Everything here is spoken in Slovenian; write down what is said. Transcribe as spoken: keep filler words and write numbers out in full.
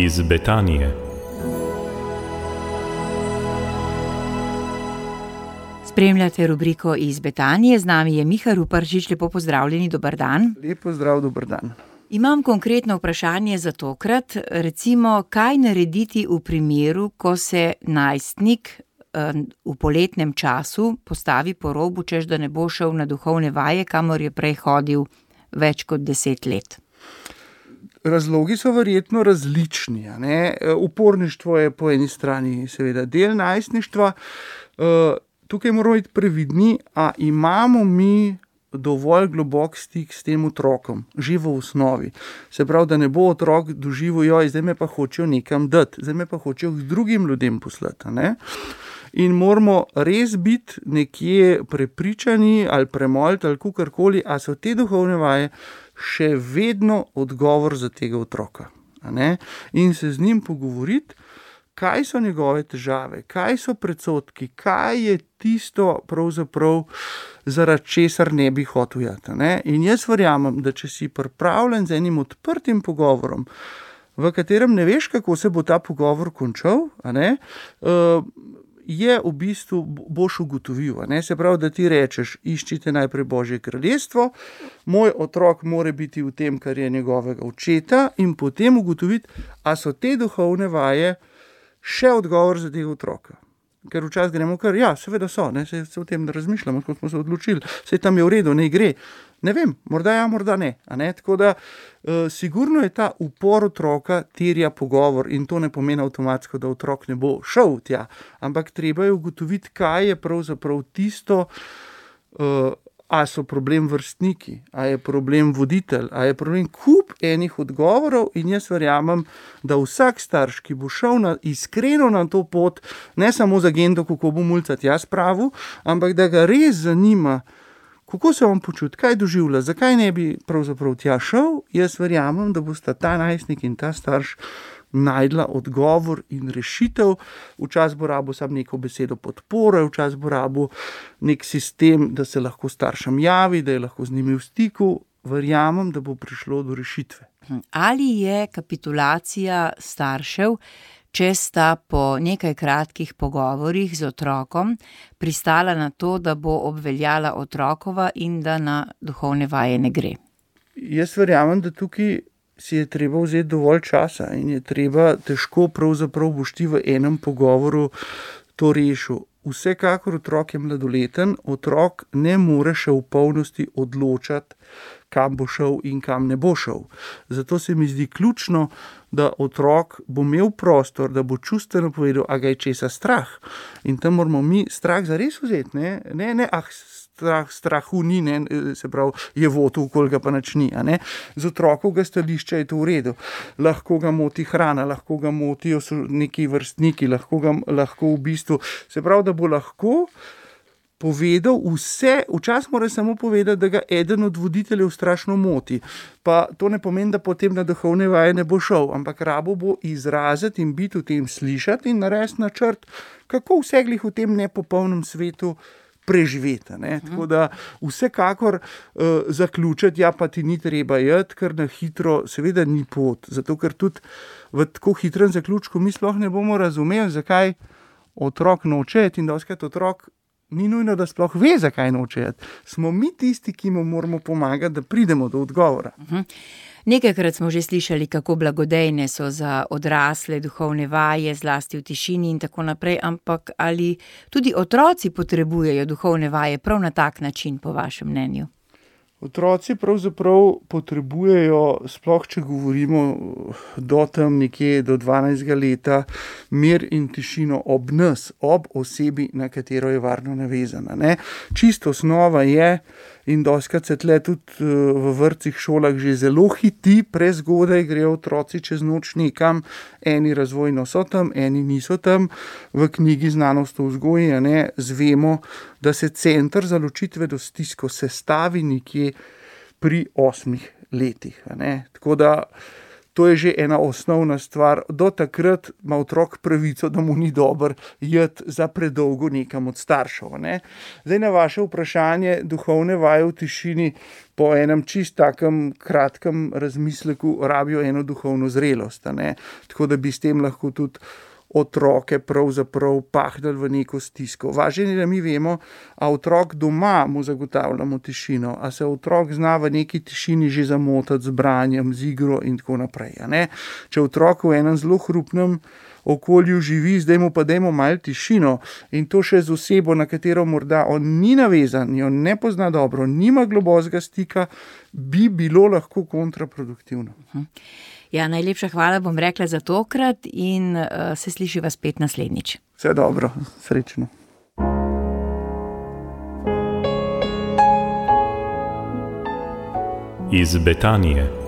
iz Betanije. Spremljate rubriko Iz Betanije, z nami je Miha Ruparšič, lepo pozdravljeni, dober dan. Lepo zdrav, dober dan. Imam konkretno vprašanje za tokrat, recimo, kaj narediti v primeru, ko se najstnik v poletnem času postavi po robu, češ da ne bo šel na duhovne vaje, kamor je prej hodil več kot deset let. Razlogi so verjetno različni. A ne? Uporništvo je po eni strani seveda del najstništva. Tukaj moramo biti previdni, a imamo mi dovolj globok stik s tem otrokom, že v osnovi. Se pravi, da ne bo otrok doživel, joj, zdaj me pa hočejo nekam dati, zdaj me pa hočejo k drugim ljudem poslati. A ne? In moramo res biti nekje prepričani ali premoliti ali kakorkoli, a so te duhovne vaje še vedno odgovor za tega otroka. A ne? In se z njim pogovoriti, kaj so njegove težave, kaj so predsodki, kaj je tisto pravzaprav, zaradi česar ne bi hotel jati. Ne? In jaz verjamem, da če si pripravljen z enim odprtim pogovorom, v katerem ne veš, kako se bo ta pogovor končal, a ne, uh, je v bistvu boš ugotovil. A ne? Se pravi, da ti rečeš, iščite najprej Božje kraljestvo, moj otrok mora biti v tem, kar je njegovega očeta, in potem ugotoviti, a so te duhovne vaje še odgovor za tega otroka. Ker včasih gremo kar, ja, seveda so, ne, se, se o tem ne razmišljamo, kot smo se odločili, se tam je v redu, ne gre. Ne vem, morda ja, morda ne. A ne? Tako da, uh, sigurno je ta upor otroka terja pogovor in to ne pomeni avtomatsko, da otrok ne bo šel tja, ampak treba je ugotoviti, kaj je pravzaprav tisto, uh, a so problem vrstniki, a je problem voditelj, a je problem kup enih odgovorov, in jaz verjamem, da vsak starš, ki bo šel na, iskreno na to pot, ne samo za agendo, kako bo mulca tja spravil, ampak da ga res zanima, kako se on počuti, kaj doživlja, zakaj ne bi pravzaprav tja šel, jaz verjamem, da bosta ta najstnik in ta starš najdla odgovor in rešitev. Včasih bo rabo samo neko besedo podpore, včasih bo rabo nek sistem, da se lahko staršem javi, da je lahko z njimi v stiku. Verjamem, da bo prišlo do rešitve. Ali je kapitulacija staršev, če sta po nekaj kratkih pogovorih z otrokom pristala na to, da bo obveljala otrokova in da na duhovne vaje ne gre? Jaz verjamem, da tukaj si je treba vzeti dovolj časa in je treba težko pravzaprav boš ti v enem pogovoru to rešil. Vsekakor otrok je mladoleten, otrok ne more še v polnosti odločati, kam bo šel in kam ne bo šel. Zato se mi zdi ključno, da otrok bo imel prostor, da bo čustveno povedal, a ga je česa strah. In tam moramo mi strah zares vzeti, ne, ne, ne ah, strah, strahu ni, ne, se pravi, je votu, koliko ga pa nič ni. A ne. Z otrokovega stališča je to v redu. Lahko ga moti hrana, lahko ga motijo neki vrstniki, lahko ga lahko v bistvu, se pravi, da bo lahko povedal vse, včasih mora samo povedati, da ga eden od voditeljev strašno moti. Pa to ne pomeni, da potem na duhovne vaje ne bo šel, ampak rabo bo izraziti in biti v tem slišati in narediti načrt, kako vse glih v tem nepopolnem svetu preživeti. Ne? Tako da vsekakor uh, zaključiti, ja pa ti ni treba jeti, ker na hitro seveda ni pot. Zato ker tudi v tako hitrem zaključku mi sploh ne bomo razumeli, zakaj otrok noče jeti, in dostikrat otrok ni nujno, da sploh ve, zakaj noče jeti. Smo mi tisti, ki mu moramo pomagati, da pridemo do odgovora. Uh-huh. Nekajkrat smo že slišali, kako blagodejne so za odrasle duhovne vaje, zlasti v tišini in tako naprej, ampak ali tudi otroci potrebujejo duhovne vaje prav na tak način, po vašem mnenju? Otroci pravzaprav potrebujejo, sploh če govorimo do tam nekje do dvanajstega leta, mir in tišino ob nas, ob osebi, na katero je varno navezana. Ne? Čisto osnova je, in dostikrat se tle tudi v vrtcih, šolah že zelo hiti, prezgodaj grejo otroci čez noč nekam, eni razvojno so tam, eni niso tam. V knjigi Znanost o vzgoji, ne, zvemo, da se center za ločitve do stisko sestavi nekje pri osmih letih. Ne. Tako da To je že ena osnovna stvar. Do takrat ima otrok pravico, da mu ni dobro jeti za predolgo nekam od staršev. Ne? Zdaj na vaše vprašanje, duhovne vaje v tišini po enem čist takem kratkem razmisleku rabijo eno duhovno zrelost. Ne? Tako da bi s tem lahko tudi otroke pravzaprav pahnili v neko stisko. Važno je, da mi vemo, a otrok doma mu zagotavljamo tišino, a se otrok zna v neki tišini že zamotati z branjem, z igro in tako naprej. Ne? Če otrok v enem zelo hrupnem okolju živi, zdaj mu pa dajmo malo tišino in to še z osebo, na katero morda on ni navezan, jo ne pozna dobro, nima globokega stika, bi bilo lahko kontraproduktivno. Ja, najlepša hvala, bom rekla za tokrat in uh, se slišiva spet naslednjič. Vse dobro, srečno. Iz Betanije.